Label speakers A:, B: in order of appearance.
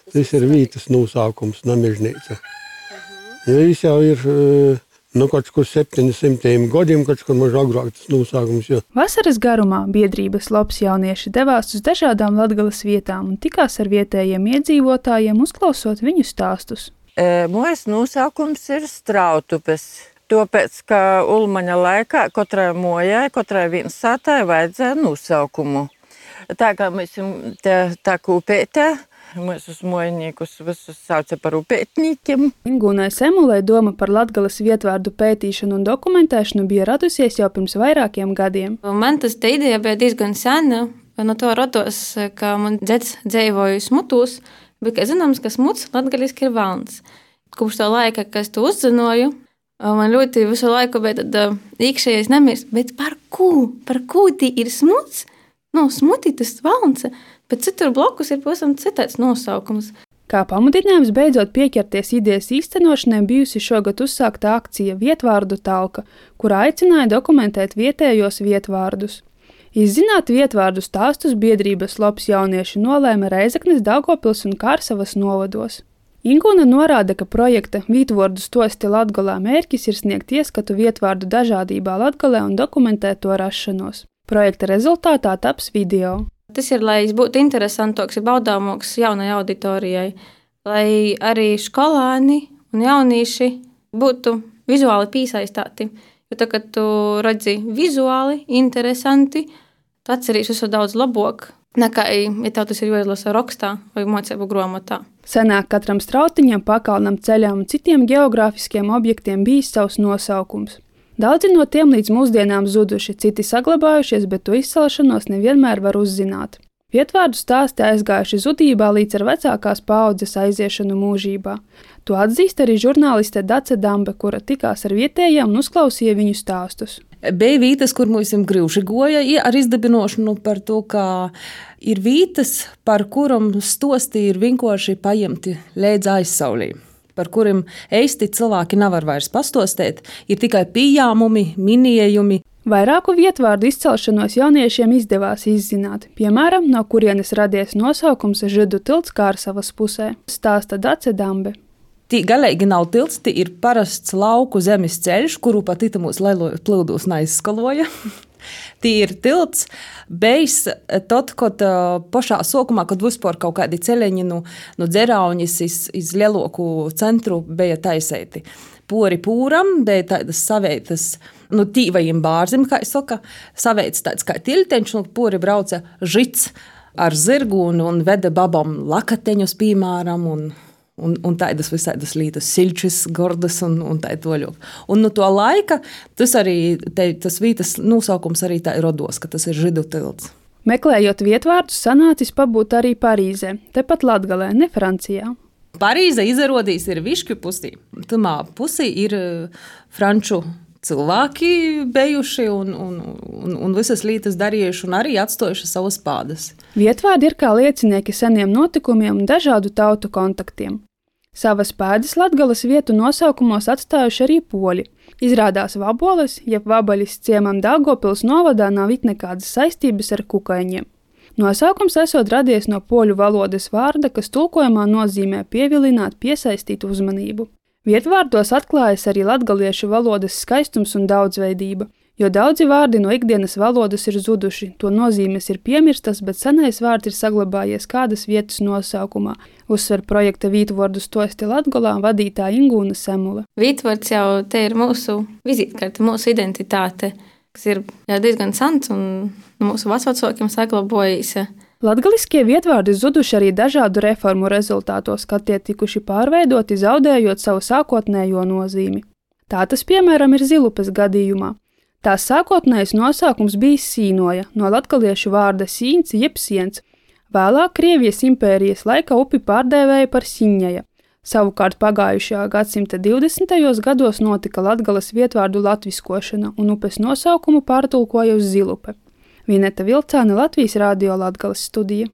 A: Tas ir vītas nosaukums, Namežnīca. Viņš jau ir kaut kur 700 gadiem, kaut kur maž agrāk tas nosaukums. Jo.
B: Vasaras garumā biedrības Lops jaunieši devās uz dažādām Latgales vietām un tikās ar vietējiem iedzīvotājiem, uzklausot viņu stāstus.
C: Mūsu nosaukums ir Strautupes. Tāpēc, ka Ulmaņa laikā katrai mojai, katrai viensātai vajadzēja nosaukumu. Tā kā mēs tā kā upētē, mūsu mojniekus visus sauca par upētniekiem.
B: Ingūnai Semulei doma par Latgales vietvārdu pētīšanu un dokumentēšanu bija radusies jau pirms vairākiem gadiem.
D: Man tas te ideja bija diezgan sena. No to rados, ka man dzeds dzīvoja Smutūs, bet, kā zināms, ka smuts latgaliski ir valns. Kopš to laika, kad es to uzzināju, man ļoti visu laiku bija tāda iekšējais nemirs. Bet par ko? Par ko tī ir smuts? Smuti tas valns, bet citur blokus ir pavisam citāds nosaukums.
B: Kā pamudinājums beidzot pieķerties idejas īstenošanai bijusi šogad uzsākta akcija Vietvārdu talka, kurā aicināja dokumentēt vietējos vietvārdus. Izzināt vietvārdu stāstus biedrības Lops jaunieši nolēma Reizeknes, Daugavpils un Kārsavas novados. Ingūna norāda, ka projekta Vītvārdu stosti Latgalē mērķis ir sniegt ieskatu vietvārdu dažādībā Latgalē un dokumentēt to rašanos. Projekta rezultātā taps video.
D: Tas ir, lai būtu interesantāks un baudāmāks jaunai auditorijai, lai arī skolāni un jaunieši būtu vizuāli piesaistīti. Jo tā, kad tu redzi vizuāli interesanti, tu atceries visu daudz labāk, nekā, ja tev tas ir jāizlasa rakstā vai mācību grāmatā.
B: Senāk katram strautiņam, pakalnam, ceļam un citiem geogrāfiskiem objektiem bijis savs nosaukums. Daudzi no tiem līdz mūsdienām zuduši, citi saglabājušies, bet to izcelšanos nevienmēr var uzzināt. Vietvārdu stāsti aizgājuši zudībā līdz ar vecākās paaudzes aiziešanu mūžībā. To atzīst arī žurnāliste Dace Dambe, kura tikās ar vietējiem un uzklausīja viņu stāstus.
E: Bija vītas, kur mums grūši goja ar izdabinošanu par to, ka ir vītas, par kuram stosti ir vienkārši paņemti līdz aizsaulī, par kuriem eisti cilvēki nevar vairs pastostēt, ir tikai pieņēmumi, minējumi.
B: Vairāku vietvārdu izcelšanos jauniešiem izdevās izzināt, piemēram, no kurienes radies nosaukums Židu tilts Kārsavas pusē, stāsta Dace Dambe.
E: Tī galīgi nav tilts, tī ir parasts lauku zemes ceļš, kuru pat itamūs leilojot plūdūs neizskaloja. Tī ir tilts, bijis tad, kad pašā sokumā, kad vispār kaut kādi ceļeņi no Dzeraunis iz lieloku centru bija taisēti. Pori pūram bija tādas saveitas, tīvajiem bārzim, kā es saka, saveitas tāds kā tilteņš, pori brauca žits ar zirgu un veda babam lakateņus, piemēram, un tādas visādas lītas, siļčis, gordas un tā toļok. Un no to laika tas arī, tas vītas nosaukums arī tā rodos, ka tas ir Židu tilts.
B: Meklējot vietvārdus, sanācis pabūt arī Parīzē, tepat Latgalē, ne Francijā.
E: Parīze izrādīs ir višķu pusī. Tumā pusī ir franču cilvēki bijuši un visas lietas darījuši un arī atstājuši savas pādas.
B: Vietvārdi ir kā liecinieki seniem notikumiem un dažādu tautu kontaktiem. Savas pēdas Latgales vietu nosaukumos atstājuši arī poļi. Izrādās Vaboles, jeb Vabaļas ciemam Daugavpils novadā nav it nekādas saistības ar kukaiņiem. Nosaukums esot radies no poļu valodas vārda, kas tulkojumā nozīmē pievilināt, piesaistīt uzmanību. Vietvārdos atklājas arī latgaliešu valodas skaistums un daudzveidība, jo daudzi vārdi no ikdienas valodas ir zuduši, to nozīmes ir piemirstas, bet senais vārds ir saglabājies kādas vietas nosaukumā, uzsver projekta Vītvārdu stosti Latgalā vadītāja Ingūna Semule.
D: Vītvārds jau te ir mūsu vizītkarte, mūsu identitāte, kas ir diezgan sens un mūsu vecvecākiem saglabājīs.
B: Latgaliskie vietvārdi zuduši arī dažādu reformu rezultātos, kad tie tikuši pārveidoti, zaudējot savu sākotnējo nozīmi. Tā tas, piemēram, ir Zilupes gadījumā. Tās sākotnējais nosaukums bija Sīnoja, no latgaliešu vārda sīns jeb siens. Vēlāk Krievijas impērijas laikā upi pārdēvēja par Siņaja. Savukārt pagājušajā gadsimta 20. gados notika Latgales vietvārdu latviskošana un upes nosaukumu pārtulkoja uz Zilupe. Vineta Vilcāne, Latvijas Radio Latgales studija.